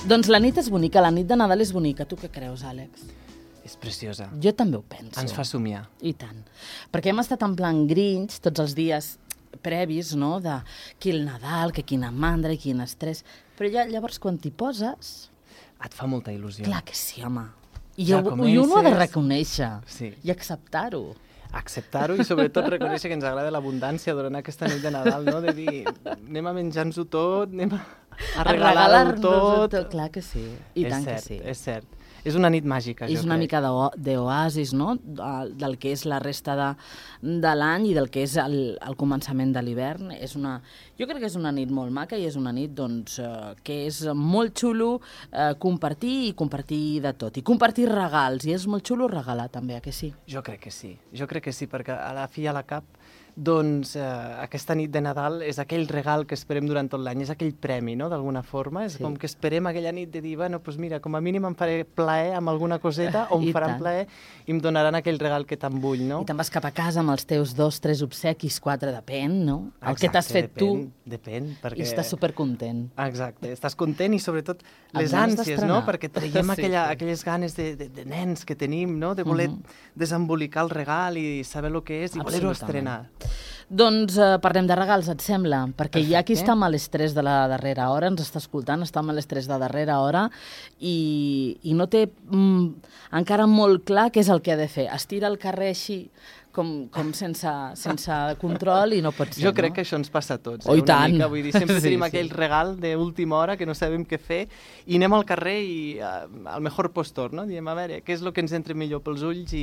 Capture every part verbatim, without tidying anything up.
Doncs la nit és bonica, la nit de Nadal és bonica. Tu què creus, Àlex? És preciosa. Jo també ho penso. Ens fa somiar. I tant. Perquè hem estat en plan Grinch tots els dies previs, no?, de qui el Nadal, que quina mandra i quin estrès. Però ja llavors quan t'hi poses... Et fa molta il·lusió. Clar que sí, home. I, Ja jo, comences- i uno ha de reconèixer Sí. i acceptar-ho. Acceptar-ho i sobretot reconèixer que ens agrada l'abundància durant aquesta nit de Nadal, no? De dir, anem a menjar-nos-ho tot, anem a, a regalar-ho regalar-nos-ho tot. Clar que sí, i és tant cert, que sí. És cert. És una nit màgica, jo És una crec. mica d'o- d'oasis, no?, del del que és la resta de, de l'any i del que és el, el començament de l'hivern. És una, jo crec que és una nit molt maca i és una nit doncs, eh, que és molt xulo eh, compartir i compartir de tot. I compartir regals, i és molt xulo regalar també, a que sí? Jo crec que sí, jo crec que sí, perquè a la fi i a la cap, doncs eh, aquesta nit de Nadal és aquell regal que esperem durant tot l'any, és aquell premi, no?, d'alguna forma. És Sí. com que esperem aquella nit de dir, bueno, doncs mira, com a mínim em faré plaer amb alguna coseta o em I faran tant. plaer i em donaran aquell regal que tant vull, no? I te'n vas cap a casa amb els teus dos, tres obsequis, quatre, depèn, no? El que t'has fet depèn, tu Depèn, perquè... i estàs supercontent. Exacte, estàs content i sobretot Amb les ganes ànsies, d'estrenar. no? Perquè traiem Sí, aquella, sí. aquelles ganes de, de, de nens que tenim, no? De voler desembolicar el regal i saber el que és i voler-ho Absolutament. estrenar. Doncs eh, parlem de regals, et sembla? Perquè hi ha qui Perfecte. està amb l'estrès de la darrera hora, ens està escoltant, està amb l'estrès de darrera hora i, i no té mm, encara molt clar què és el que ha de fer. Es tira al carrer així, com, com sense, sense control i no pot ser, Jo crec no? que això ens passa a tots. Oh, i una tant. Mica, vull dir, sempre Sí, tenim sí. aquell regal d'última hora que no sabem què fer i anem al carrer i uh, al mejor postor, no? Diem, a veure, què és el que ens entra millor pels ulls i,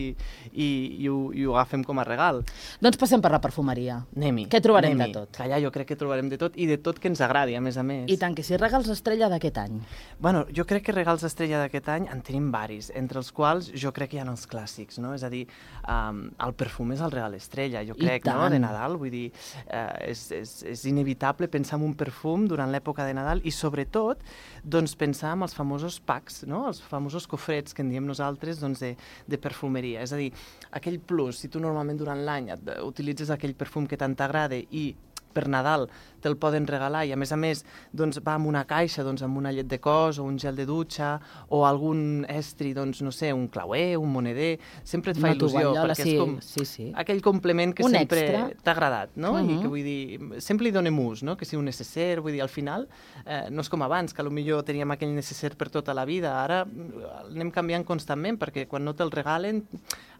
i, i, ho, i ho agafem com a regal. Doncs passem per la perfumeria. Anem-hi. Què trobarem anem-hi. de tot? Que allà jo crec que trobarem de tot i de tot que ens agradi, a més a més. I tant que sí, regals estrella d'aquest any. Bueno, jo crec que regals estrella d'aquest any en tenim varis, entre els quals jo crec que hi ha els clàssics, no? És a dir, um, el perfum és el regal estrella, jo I crec, no? tant. De Nadal, vull dir, eh, és, és, és inevitable pensar en un perfum durant l'època de Nadal i sobretot, doncs, pensar en els famosos packs, no? Els famosos cofrets que en diem nosaltres, doncs, de, de perfumeria. És a dir, aquell plus, si tu normalment durant l'any et- utilitzes aquell perfum que tant t'agrada i per Nadal te'l poden regalar i a més a més doncs, va amb una caixa doncs, amb una llet de cos o un gel de dutxa o algun estri, doncs no sé, un clauer, un moneder, sempre et fa Una il·lusió tovallola, perquè sí, és com sí, sí. aquell complement que Un sempre extra. t'ha agradat, no? Mhm. I que vull dir, sempre li donem ús, no? Que sigui un necesser, vull dir, al final eh, no és com abans, que potser teníem aquell necesser per tota la vida, ara mm, anem canviant constantment perquè quan no te'l regalen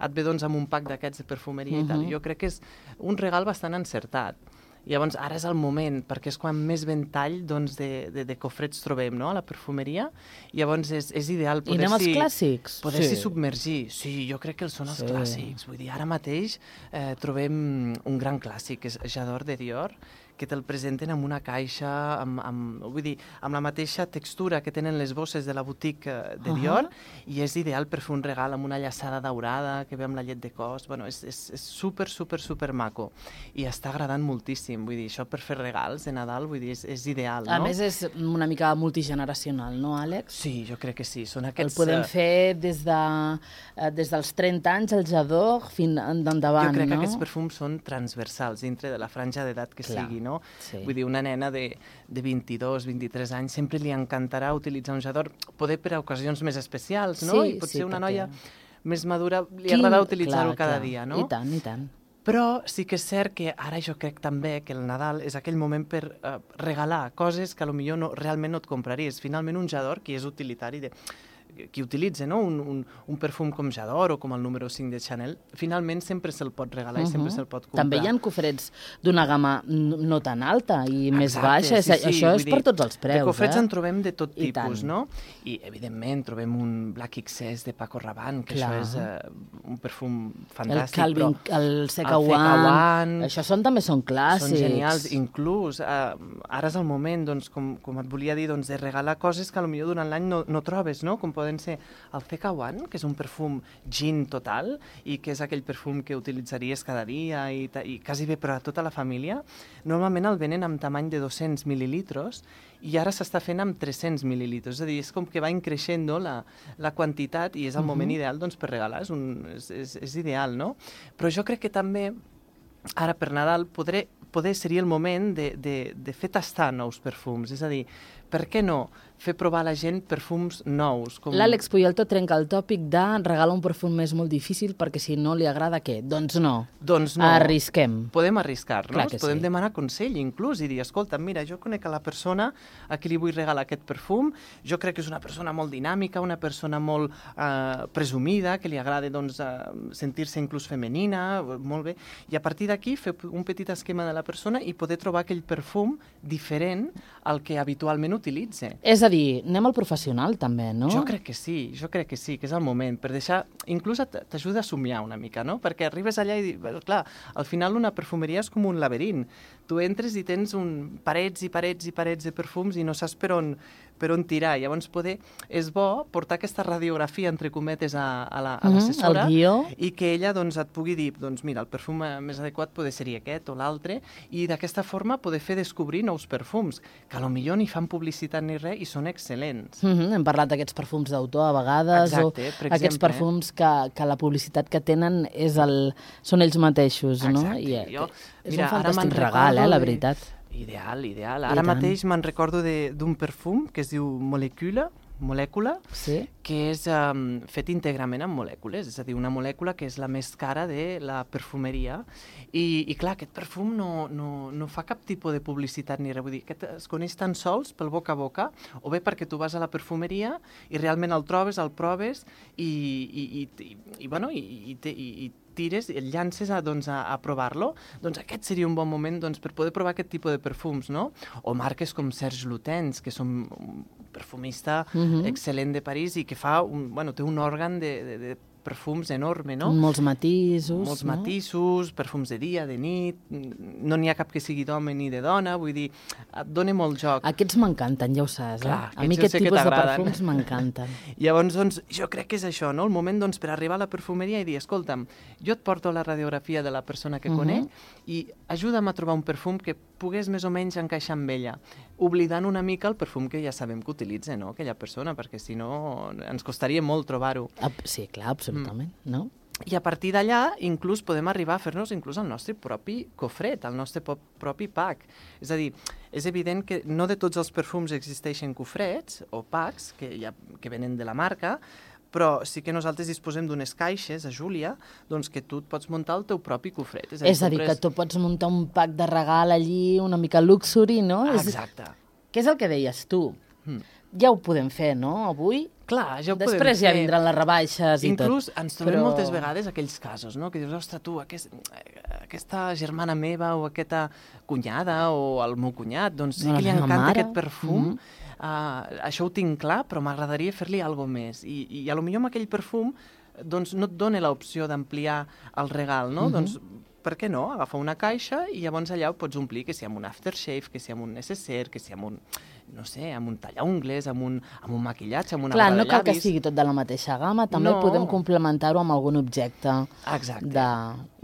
et ve doncs amb un pack d'aquests de perfumeria i tal. Mhm. Jo crec que és un regal bastant encertat. Llavors, ara és el moment, perquè és quan més ventall doncs, de, de, de cofrets trobem, no?, a la perfumeria. Llavors, és, és ideal I anem als poder-s'hi clàssics? poder-s'hi Sí. submergir. Sí, jo crec que els són els Sí. clàssics. Vull dir, ara mateix eh, trobem un gran clàssic, que és J'adore de Dior, que te'l presenten amb una caixa, amb, amb, vull dir, amb la mateixa textura que tenen les bosses de la boutique eh, de Ahà. Dior, i és ideal per fer un regal amb una llaçada daurada que ve amb la llet de cos. Bueno, és, és, és super, super, super maco. I està agradant moltíssim. Vull dir, això per fer regals de Nadal, vull dir, és, és ideal, no? A més, és una mica multigeneracional, no, Àlex? Sí, jo crec que sí. Són El aquests... podem eh, fer des, de, eh, des dels trenta anys, el Jador, fins endavant, Jo crec no? que aquests perfums són transversals dintre de la franja d'edat que Clar, sigui, no? sí. Vull dir, una nena de, de vint-i-dos, vint-i-tres anys sempre li encantarà utilitzar un Jador, poder per a ocasions més especials, no? Sí, I potser sí, una perquè- noia més madura li Quin- agrada utilitzar-ho clar, cada clar. dia, no? I tant, i tant. Però sí que és cert que ara jo crec també que el Nadal és aquell moment per eh, regalar coses que potser no, realment no et compraries. Finalment un Jador, qui és utilitari de qui utilitza, no? un, un, un perfum com Jador o com el número cinc de Chanel, finalment sempre se'l pot regalar i sempre Mhm. se'l pot comprar. També hi ha cofrets d'una gamma n- no tan alta i més Exacte, baixa. sí, sí, Això vull és dir, per tots els preus, de cofrets eh? en trobem de tot I tipus, tant. no? I, evidentment, trobem un Black X S de Paco Rabanne, que Clar. això és eh, un perfum El fantàstic, Calvin, però el el Seca Feka One, One, això són, també són clàssics. són genials. Inclús, eh, ara és el moment, doncs, com, com et volia dir, doncs, de regalar coses que potser durant l'any no, no trobes, no? Com poden ser el Feka One, que és un perfum gin total i que és aquell perfum que utilitzaries cada dia i, ta- i quasi bé per a tota la família. Normalment el venen amb tamany de dos-cents mil·lilitres i ara s'està fent amb tres-cents mil·lilitres. És a dir, és com que va increixent la, la quantitat i és el moment ideal doncs, per regalar. És, un, és, és, és ideal, no? Però jo crec que també ara per Nadal podré, poder seria el moment de, de, de fer tastar nous perfums. És a dir, per què no fer provar a la gent perfums nous. Com... L'Àlex Puyalto trenca el tòpic de regala un perfum és molt difícil perquè si no li agrada què? Doncs no. Doncs no. Arrisquem. Podem arriscar-nos, podem sí. demanar consell inclús i dir, escolta, mira, jo conec a la persona a qui li vull regalar aquest perfum, jo crec que és una persona molt dinàmica, una persona molt eh, presumida, que li agrada doncs, eh, sentir-se inclús femenina, molt bé, i a partir d'aquí fer un petit esquema de la persona i poder trobar aquell perfum diferent al que habitualment utilitza. És a dir, anem al professional també, no? Jo crec que sí, jo crec que sí, que és el moment, per deixar, inclús t'ajuda a somiar una mica, no? Perquè arribes allà i, clar, al final una perfumeria és com un laberint. Tu entres i tens un parets i parets i parets de perfums i no saps per on, per on tirar. Llavors, poder, és bo portar aquesta radiografia, entre cometes, a, a l'assessora, mm, i que ella doncs, et pugui dir, doncs mira, el perfum més adequat pot ser aquest o l'altre, i d'aquesta forma poder fer descobrir nous perfums, que a lo millor ni fan publicitat ni res i són excel·lents. Mm -hmm. Hem parlat d'aquests perfums d'autor a vegades, Exacte, o per exemple, aquests perfums que, que la publicitat que tenen és el, són ells mateixos, no? Exacte. I, jo, és mira, un fantàstic regal, eh, la veritat. De... Ideal, ideal. Ara mateix me'n recordo d'un perfum que es diu Molecula, molècula, sí? que és um, fet íntegrament amb molècules, és a dir, una molècula que és la més cara de la perfumeria, i, i clar, aquest perfum no, no, no fa cap tipus de publicitat ni res, vull dir, aquest es coneix tan sols pel boca a boca, o bé perquè tu vas a la perfumeria i realment el trobes, el proves, i, i, i, i, i bueno, i, i, i, i tires i el llances a, doncs, a, a provar-lo, doncs aquest seria un bon moment doncs, per poder provar aquest tipus de perfums, no? O marques com Serge Lutens, que són un perfumista uh-huh. excel·lent de París i que fa un, bueno, té un òrgan de, de, de perfums enorme, no? Molts matisos. Molts no? matisos, perfums de dia, de nit, no n'hi ha cap que sigui d'home ni de dona, vull dir, et dona molt joc. Aquests m'encanten, ja ho saps, eh? Clar, a mi aquest tipus de perfums m'encanten. Llavors, doncs, jo crec que és això, no? El moment, doncs, per arribar a la perfumeria i dir, escolta'm, jo et porto la radiografia de la persona que uh-huh. conec i ajuda'm a trobar un perfum que pogués més o menys encaixar amb ella, oblidant una mica el perfum que ja sabem que utilitza, no?, aquella persona, perquè si no ens costaria molt trobar-ho. Sí, clar, absolutament, mm. no? I a partir d'allà, inclús podem arribar a fer-nos inclús el nostre propi cofret, el nostre propi pack. És a dir, és evident que no de tots els perfums existeixen cofrets o packs que, ja, que venen de la marca, però sí que nosaltres disposem d'unes caixes, a Júlia, doncs que tu et pots muntar el teu propi cofret. És a dir, és a dir compres... que tu pots muntar un pack de regal allí, una mica luxury, no? Exacte. Què és el que deies tu? Mm. Ja ho podem fer, no?, avui? Clar, ja ho Després podem fer. Després ja vindran les rebaixes i Inclús tot. ens trobem però... moltes vegades aquells casos, no?, que dius, ostres, tu, aquest, aquesta germana meva o aquesta cunyada o el meu cunyat, doncs sí que li encanta mare. aquest perfum, mm-hmm. Uh, això ho tinc clar, però m'agradaria fer-li alguna més. I, i a lo millor amb aquell perfum doncs, no et dona l'opció d'ampliar el regal, no? Mm-hmm. Doncs, per què no? Agafa una caixa i llavors allà ho pots omplir, que si amb un aftershave, que si amb un necessaire, que si amb un, no sé, amb un tallaungles, amb un, amb un maquillatge, amb una Clar, barra no de cal llavis. que sigui tot de la mateixa gamma, també no. podem complementar-ho amb algun objecte. Exacte. De...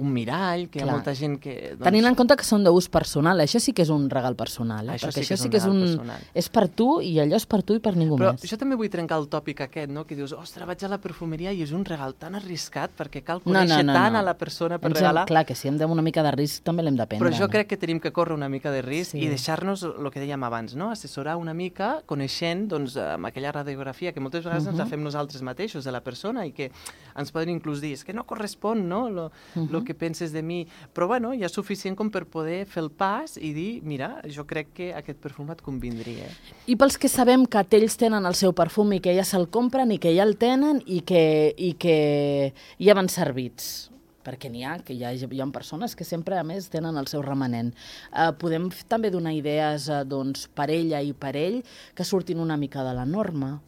Un mirall, que Clar. hi ha molta gent que... Doncs... Tenint en compte que són d'ús personal, això sí que és un regal personal, eh? Això perquè sí que això és sí un que és un... personal. És per tu i allò és per tu i per ningú Però més. jo també vull trencar el tòpic aquest, no?, que dius, ostres, vaig a la perfumeria i és un regal tan arriscat perquè cal conèixer no, no, no, tant no. a la persona per hem, regalar. Clar, que si hem de una mica de risc també l'hem de prendre. Però jo no? crec que tenim que córrer una mica de risc sí. i deixar-nos el que dèiem abans, no?, assessorar una mica, coneixent doncs, amb aquella radiografia que moltes vegades uh -huh. ens la fem nosaltres mateixos de la persona i que ens poden inclús dir, és que no correspon, no?, lo, uh -huh. lo que penses de mi. Però bueno, ja és suficient com per poder fer el pas i dir, mira, jo crec que aquest perfum et convindria. I pels que sabem que ells tenen el seu perfum i que ja se'l compren i que ja el tenen i que, i que ja van servits, perquè n'hi ha, que hi ha, hi ha persones que sempre, a més, tenen el seu remanent. Uh, podem també donar idees uh, doncs, per ella i per ell que surtin una mica de la norma?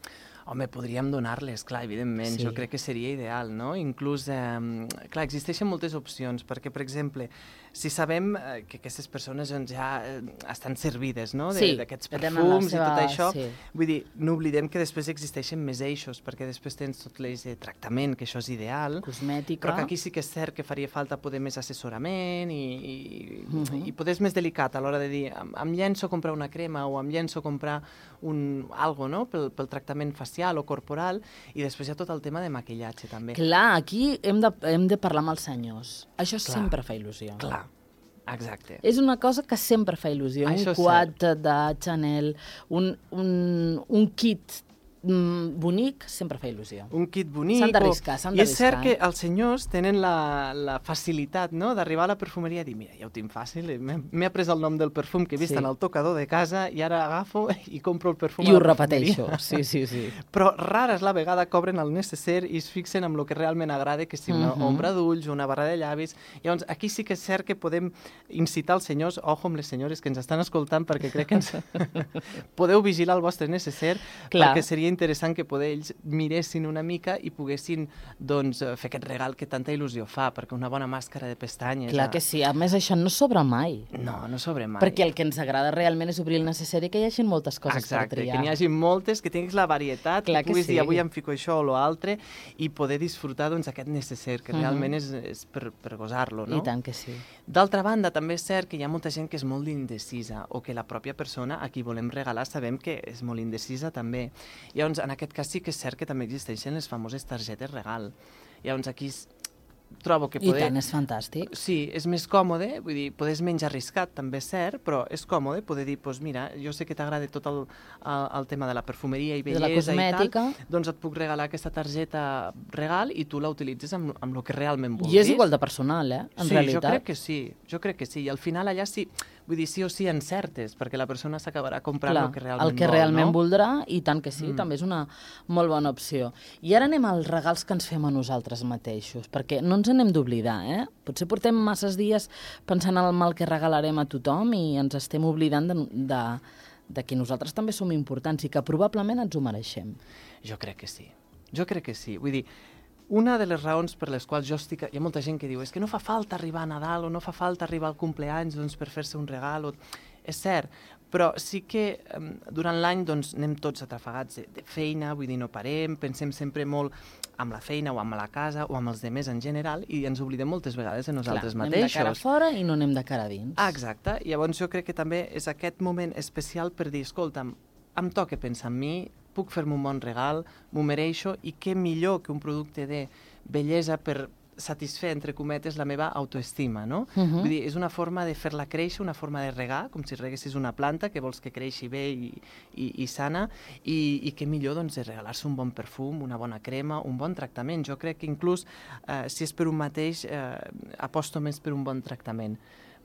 Home, podríem donar-les, clar, evidentment, sí. jo crec que seria ideal, no? Inclús, eh, clar, existeixen moltes opcions, perquè, per exemple, si sabem eh, que aquestes persones doncs, ja eh, estan servides, no?, d'aquests sí, perfums seva... i tot això, sí. vull dir, no oblidem que després existeixen més eixos, perquè després tens tot l'eix de tractament, que això és ideal, cosmètica, però que aquí sí que és cert que faria falta poder més assessorament i, i, uh -huh. i poder és més delicat a l'hora de dir, em, em llenço a comprar una crema o em llenço a comprar un, algo, no?, pel, pel tractament facial o corporal, i després hi ha tot el tema de maquillatge, també. Clar, aquí hem de, hem de parlar amb els senyors. Això Clar. sempre fa il·lusió. Clar. Exacte. És una cosa que sempre fa il·lusió. Això un quad de Chanel, un, un, un kit mm, bonic, sempre fa il·lusió. Un kit bonic. S'han d'arriscar, s'han I és d'arriscar. cert que els senyors tenen la, la facilitat, no?, d'arribar a la perfumeria i dir, mira, ja ho tinc fàcil, m'he après el nom del perfum que he vist Sí. en el tocador de casa i ara agafo i compro el perfum I a ho la perfumeria. repeteixo, sí, sí, sí. Però rara és la vegada que obren el necesser i es fixen en el que realment agrada, que sigui una Mhm. ombra d'ulls, una barra de llavis. Llavors, aquí sí que és cert que podem incitar els senyors, ojo amb les senyores que ens estan escoltant, perquè crec que ens... podeu vigilar el vostre necesser, Clar. perquè seria interessant que poder ells miressin una mica i poguessin doncs, fer aquest regal que tanta il·lusió fa, perquè una bona màscara de pestanyes... Clar que sí, a més això no sobra mai. No, no sobre mai. Perquè el que ens agrada realment és obrir el necessari i que hi hagi moltes coses Exacte, per triar. que n'hi hagi moltes, que tinguis la varietat, Clar que que puguis sí. dir avui em fico això o l'altre i poder disfrutar doncs, aquest necesser, que Mhm. realment és, és per, per gosar-lo, no? I tant que sí. D'altra banda, també és cert que hi ha molta gent que és molt indecisa o que la pròpia persona a qui volem regalar sabem que és molt indecisa també. Llavors, en aquest cas sí que és cert que també existeixen les famoses targetes regal. Llavors, aquí s- trobo que I poder... tant, és fantàstic. Sí, és més còmode, vull dir, poder és menys arriscat, també és cert, però és còmode poder dir, doncs mira, jo sé que t'agrada tot el, el, el tema de la perfumeria i De la bellesa i cosmètica. tal, doncs et puc regalar aquesta targeta regal i tu la utilitzes amb, amb el que realment vulguis. I és igual de personal, eh? En sí, realitat. jo crec que sí, jo crec que sí. I al final allà sí, vull dir, sí o sí encertes, perquè la persona s'acabarà comprant Clar, el que realment el que vol, realment no? voldrà, i tant que sí, Mm. mm. també és una molt bona opció. I ara anem als regals que ens fem a nosaltres mateixos, perquè no ens n'hem d'oblidar, eh? Potser portem masses dies pensant en el mal que regalarem a tothom i ens estem oblidant de, de, de que nosaltres també som importants i que probablement ens ho mereixem. Jo crec que sí, jo crec que sí. Vull dir, una de les raons per les quals jo estic... Hi ha molta gent que diu és que no fa falta arribar a Nadal o no fa falta arribar al compleanys doncs, per fer-se un regal. O... És cert, però sí que um, durant l'any doncs, anem tots atrafegats de, de feina, vull dir, no parem, pensem sempre molt amb la feina o amb la casa o amb els demés en general i ens oblidem moltes vegades de nosaltres Clar, mateixos. anem de cara fora i no anem de cara dins. Ah, exacte. Llavors jo crec que també és aquest moment especial per dir, escolta'm, em toca pensar en mi, puc fer-me un bon regal, m'ho mereixo, i què millor que un producte de bellesa per satisfer, entre cometes, la meva autoestima, no? Uh -huh. Vull dir, és una forma de fer-la créixer, una forma de regar, com si reguessis una planta que vols que creixi bé i, i, i sana, i, i què millor doncs, de regalar-se un bon perfum, una bona crema, un bon tractament. Jo crec que inclús, eh, si és per un mateix, eh, aposto més per un bon tractament,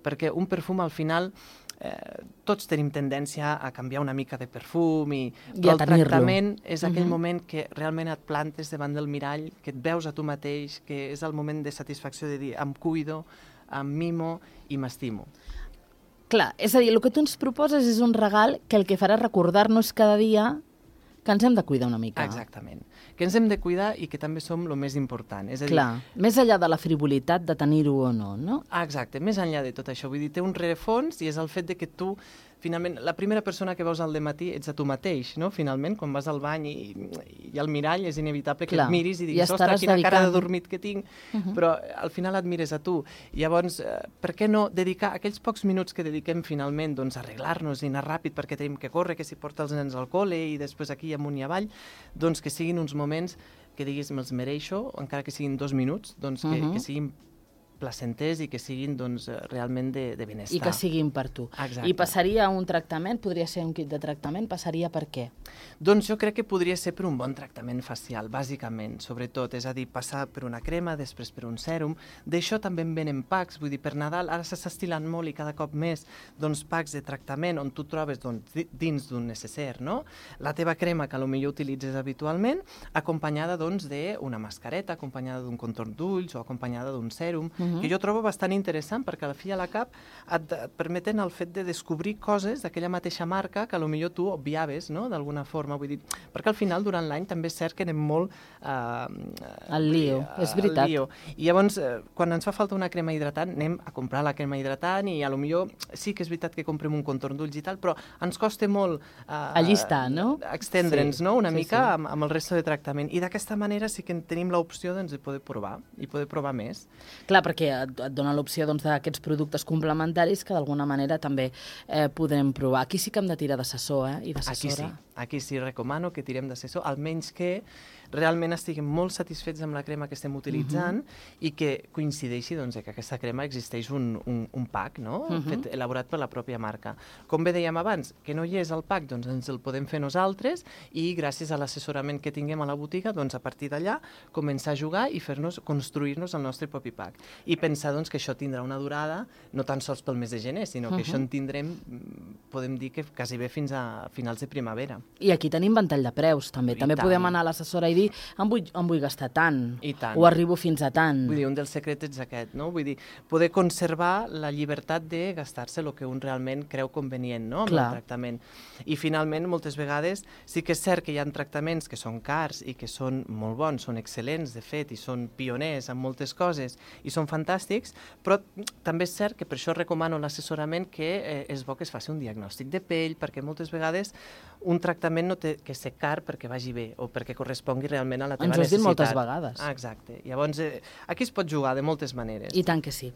perquè un perfum al final eh, tots tenim tendència a canviar una mica de perfum i, I però a el tenir-lo. tractament és aquell Mhm. moment que realment et plantes davant del mirall, que et veus a tu mateix, que és el moment de satisfacció de dir em cuido, em mimo i m'estimo. Clar, és a dir, el que tu ens proposes és un regal que el que farà recordar-nos cada dia que ens hem de cuidar una mica. Exactament. Que ens hem de cuidar i que també som el més important. És a dir, Clar, més enllà de la frivolitat de tenir-ho o no, no? Ah, exacte, més enllà de tot això. Vull dir, té un rerefons i és el fet de que tu, finalment, la primera persona que veus al dematí ets a tu mateix, no? Finalment, quan vas al bany i, i al mirall és inevitable que Clar, et miris i i diguis, estaràs ostres, quina cara de dedicant- dormit que tinc, Uh -huh. però al final et mires a tu. Llavors, eh, per què no dedicar aquells pocs minuts que dediquem finalment doncs, a arreglar-nos i anar ràpid perquè tenim que córrer, que si porta els nens al col·le i després aquí amunt i avall, doncs que siguin uns moments que diguis me'ls mereixo, encara que siguin dos minuts, doncs que, Uh -huh. que siguin placenters i que siguin doncs, eh, realment de, de benestar. I que siguin per tu. Exacte. I passaria a un tractament, podria ser un kit de tractament, passaria per què? Doncs jo crec que podria ser per un bon tractament facial, bàsicament, sobretot, és a dir, passar per una crema, després per un sèrum. D'això també en venen packs, vull dir, per Nadal ara s'està estilant molt i cada cop més doncs, packs de tractament on tu trobes doncs, di- dins d'un necesser, no? La teva crema, que potser utilitzes habitualment, acompanyada doncs, d'una mascareta, acompanyada d'un contorn d'ulls o acompanyada d'un sèrum, Uh -huh. que jo trobo bastant interessant perquè a la fi i a la cap et, et permeten el fet de descobrir coses d'aquella mateixa marca que potser tu obviaves, no?, d'alguna forma. Vull dir, perquè al final, durant l'any, també és cert que anem molt... Eh, Al lío, eh, és veritat. al lío. I llavors, eh, quan ens fa falta una crema hidratant, anem a comprar la crema hidratant i a lo millor sí que és veritat que comprem un contorn d'ulls i tal, però ens costa molt... Eh, Allistar, no? Extendre'ns, Sí, no?, una sí, mica sí. amb, amb el resto de tractament. I d'aquesta manera sí que tenim l'opció doncs, de poder provar i poder provar més. Clar, perquè et, et dona l'opció doncs, d'aquests productes complementaris que d'alguna manera també eh, podrem provar. Aquí sí que hem de tirar d'assessor, eh? I Aquí sí, d'assessora. aquí sí recomano que tirem d'assessor, almenys que realment estiguem molt satisfets amb la crema que estem utilitzant uh-huh. i que coincideixi doncs, que aquesta crema existeix un, un, un pack, no? Uh-huh. Fet, elaborat per la pròpia marca. Com bé dèiem abans, que no hi és el pack, doncs ens el podem fer nosaltres i gràcies a l'assessorament que tinguem a la botiga, doncs a partir d'allà començar a jugar i fer-nos, construir-nos el nostre propi pack. I pensar doncs, que això tindrà una durada no tan sols pel mes de gener, sinó que uh-huh. això en tindrem, podem dir que quasi bé fins a finals de primavera. I aquí tenim ventall de preus, també. I també tant. Podem anar a l'assessora i dir em vull, em vull gastar tant, I tant, o arribo fins a tant. Vull dir, un dels secrets és aquest, no? Vull dir, poder conservar la llibertat de gastar-se el que un realment creu convenient, no? Amb Clar. El tractament. I finalment, moltes vegades, sí que és cert que hi ha tractaments que són cars i que són molt bons, són excel·lents, de fet, i són pioners en moltes coses, i són fantàstics, però també és cert que per això recomano l'assessorament que eh, és bo que es faci un diagnòstic de pell, perquè moltes vegades un tractament no té que ser car perquè vagi bé o perquè correspongui realment a la teva necessitat. Ens ho has dit moltes vegades. Ah, exacte. Llavors, eh, aquí es pot jugar de moltes maneres. I tant que sí.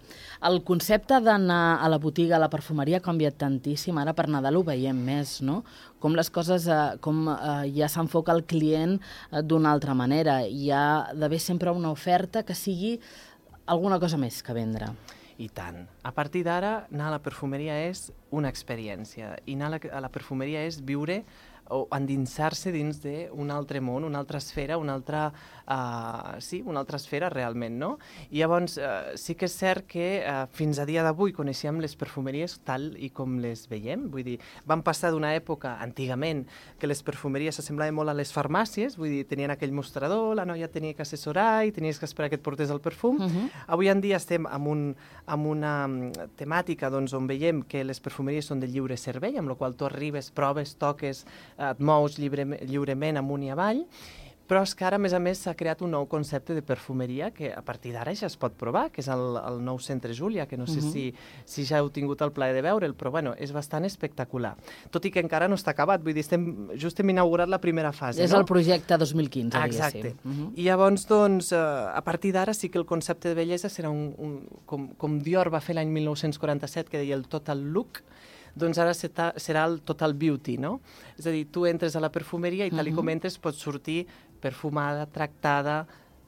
El concepte d'anar a la botiga, a la perfumeria, ha canviat tantíssim. Ara per Nadal ho veiem més, no? Com les coses, eh, com eh, ja s'enfoca el client eh, d'una altra manera. Hi ha d'haver sempre una oferta que sigui alguna cosa més que vendre. I tant. A partir d'ara, anar a la perfumeria és una experiència. I anar a la, a la perfumeria és viure o endinsar-se dins d'un altre món, una altra esfera, una altra, uh, sí, una altra esfera realment, no? I llavors uh, sí que és cert que uh, fins a dia d'avui coneixíem les perfumeries tal i com les veiem, vull dir, vam passar d'una època, antigament, que les perfumeries s'assemblaven molt a les farmàcies, vull dir, tenien aquell mostrador, la noia tenia que assessorar i tenies que esperar que et portés el perfum. Uh-huh. Avui en dia estem amb, un, amb una temàtica doncs, on veiem que les perfumeries són de lliure servei, amb la qual tu arribes, proves, toques, et mous lliure, lliurement amunt i avall, però és que ara, a més a més, s'ha creat un nou concepte de perfumeria que a partir d'ara ja es pot provar, que és el, el nou Centre Júlia, que no sé uh-huh. si, si ja heu tingut el plaer de veure'l, però bueno, és bastant espectacular. Tot i que encara no està acabat, vull dir, estem, just hem inaugurat la primera fase. És no? el projecte dos mil quinze, Exacte. diguéssim. Uh-huh. I llavors, doncs, a partir d'ara sí que el concepte de bellesa serà un, un com, com Dior va fer l'any mil nou-cents quaranta-set, que deia el total look, doncs ara serà el total beauty, no? És a dir, tu entres a la perfumeria i tal i com entres pots sortir perfumada, tractada,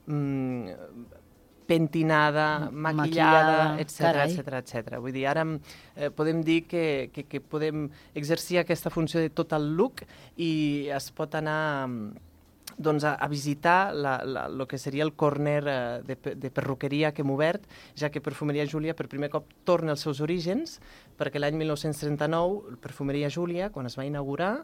mmm, pentinada, maquillada, etcètera, etcètera, etcètera. Vull dir, ara eh, podem dir que, que, que podem exercir aquesta funció de total look i es pot anar doncs, a, a visitar la, la, lo que seria el corner eh, de, de perruqueria que hem obert, ja que Perfumeria Júlia per primer cop torna als seus orígens, perquè l'any mil nou-cents trenta-nou, Perfumeria Júlia, quan es va inaugurar,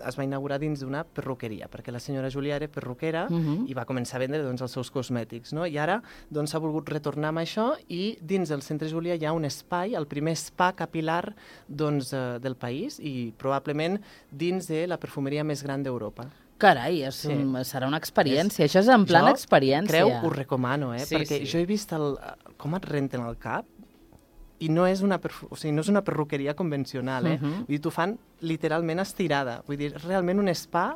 es va inaugurar dins d'una perruqueria, perquè la senyora Júlia era perruquera uh-huh. i va començar a vendre doncs, els seus cosmètics, no? I ara doncs, s'ha volgut retornar amb això i dins del Centre Júlia hi ha un espai, el primer spa capilar doncs, eh, del país i probablement dins de la perfumeria més gran d'Europa. Carai, és un, sí. serà una experiència. És, Això és en plan jo, experiència. Creu, ho recomano, eh? Sí, perquè sí. jo he vist el, com et renten el cap i no és una, perfu o sigui, no és una perruqueria convencional, eh? Uh-huh. Vull dir, t'ho fan literalment estirada. Vull dir, realment un spa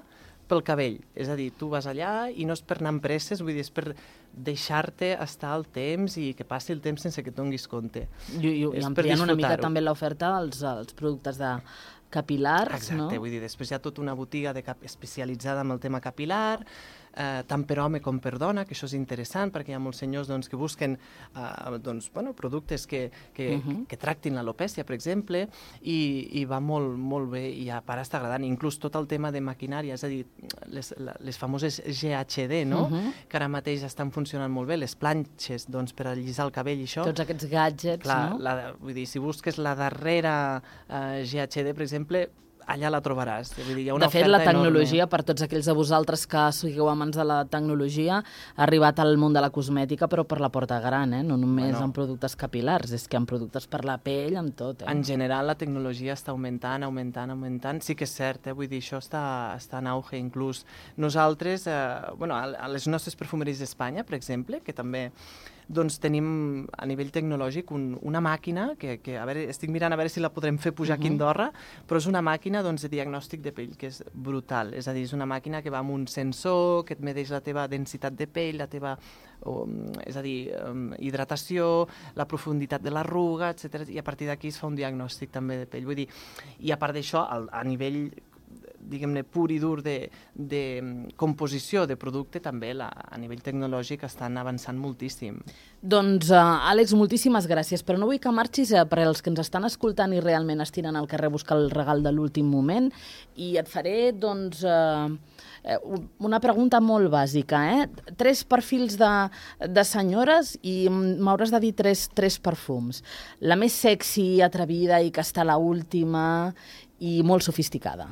pel cabell. És a dir, tu vas allà i no és per anar amb presses, vull dir, és per deixar-te estar el temps i que passi el temps sense que et donis compte. I, i, i ampliant una mica també l'oferta als, als productes de capilars, Exacte, no? Vull dir, després hi ha tota una botiga de cap especialitzada en el tema capilar, eh, tant per home com per dona, que això és interessant perquè hi ha molts senyors doncs, que busquen eh, doncs, bueno, productes que, que, uh-huh. que tractin l'alopècia, per exemple, i, i va molt, molt bé i a part està agradant. Inclús tot el tema de maquinària, és a dir, les, les famoses G H D, no? Uh-huh. Que ara mateix estan funcionant molt bé, les planxes doncs, per allisar el cabell i això. Tots aquests gadgets, Clar, no? La, vull dir, si busques la darrera eh, G H D, per exemple, allà la trobaràs. Vull dir, hi ha una de fet, la tecnologia, enorme. Per tots aquells de vosaltres que sigueu amants de la tecnologia, ha arribat al món de la cosmètica, però per la porta gran, eh? No només bueno. en productes capilars, és que en productes per la pell, en tot. Eh? En general, la tecnologia està augmentant, augmentant, augmentant. Sí que és cert, eh? Vull dir, això està, està en auge. Inclús nosaltres, eh, bueno, a les nostres perfumeries d'Espanya, per exemple, que també doncs tenim a nivell tecnològic un, una màquina que, que a veure, estic mirant a veure si la podrem fer pujar uh-huh. aquí a Andorra, però és una màquina doncs, de diagnòstic de pell que és brutal, és a dir, és una màquina que va amb un sensor, que et medeix la teva densitat de pell, la teva o, és a dir, um, hidratació, la profunditat de l'arruga, etcètera. I a partir d'aquí es fa un diagnòstic també de pell. Vull dir, i a part d'això, a nivell diguem-ne, pur i dur de, de composició de producte, també la, a nivell tecnològic estan avançant moltíssim. Doncs, uh, Àlex, moltíssimes gràcies, però no vull que marxis uh, per als que ens estan escoltant i realment estiren al carrer a buscar el regal de l'últim moment, i et faré, doncs, uh, una pregunta molt bàsica, eh? Tres perfils de, de senyores i m'hauràs de dir tres, tres perfums. La més sexy, atrevida i que està a l'última i molt sofisticada.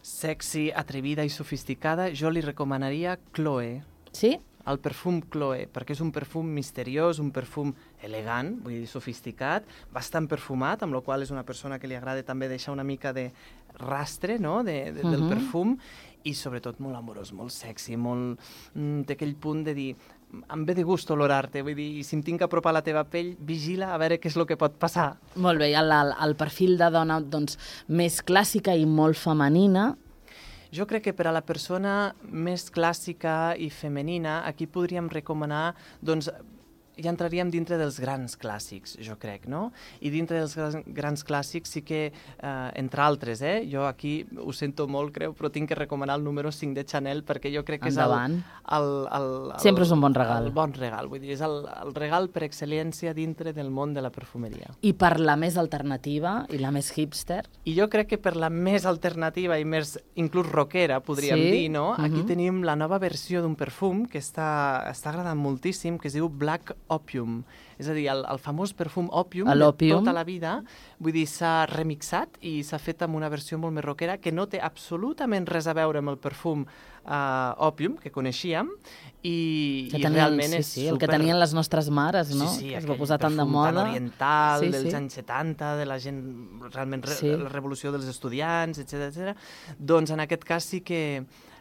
Sexy, atrevida i sofisticada, jo li recomanaria Chloé. Sí? El perfum Chloé, perquè és un perfum misteriós, un perfum elegant, vull dir, sofisticat, bastant perfumat, amb la qual és una persona que li agrada també deixar una mica de rastre, no?, de, de, uh-huh. del perfum, i sobretot molt amorós, molt sexy, molt... Mm, té aquell punt de dir, em ve de gust olorar-te, vull dir, si em tinc que apropar a la teva pell, vigila a veure què és el que pot passar. Molt bé, el, el, el perfil de dona, doncs, més clàssica i molt femenina. Jo crec que per a la persona més clàssica i femenina, aquí podríem recomanar, doncs, ja entraríem dintre dels grans clàssics, jo crec, no? I dintre dels grans, grans clàssics sí que, eh, entre altres, eh? Jo aquí ho sento molt, creu, però tinc que recomanar el número cinc de Chanel perquè jo crec que Endavant. és el, el, el, el... Sempre és un bon regal. El bon regal, vull dir, és el, el regal per excel·lència dintre del món de la perfumeria. I per la més alternativa i la més hipster? I jo crec que per la més alternativa i més, inclús rockera, podríem sí? dir, no? Aquí uh-huh. tenim la nova versió d'un perfum que està, està agradant moltíssim, que es diu Black Opium. És a dir, el, el famós perfum Opium de tota la vida, vull dir, s'ha remixat i s'ha fet amb una versió molt més rockera que no té absolutament res a veure amb el perfum uh, Opium que coneixíem i, que i tenien, realment sí, és sí, super... el que tenien les nostres mares, no? Sí, sí, que es va posar tan de moda. Tan oriental, sí, dels sí. anys setanta, de la gent, realment, re, sí. la revolució dels estudiants, etcètera, etcètera. Doncs en aquest cas sí que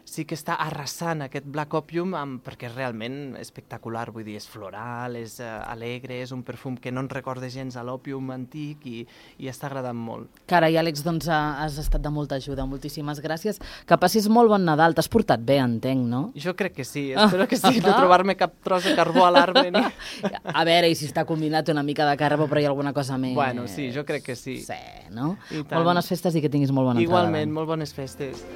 sí que està arrasant aquest Black Opium amb, perquè és realment espectacular, vull dir, és floral, és uh, alegre, és un perfum que no ens recorda gens a l'òpium antic i, i està agradant molt. Carai, Àlex, doncs has estat de molta ajuda, moltíssimes gràcies. Que passis molt bon Nadal, t'has portat bé, entenc, no? Jo crec que sí, espero que sí, no trobar-me cap tros de carbó a l'arbre. Ni... A veure, i si està combinat una mica de carbó, però hi ha alguna cosa més... Bueno, sí, jo crec que sí. Sí, no? Molt bones festes i que tinguis molt bona entrada. Igualment, molt bones festes.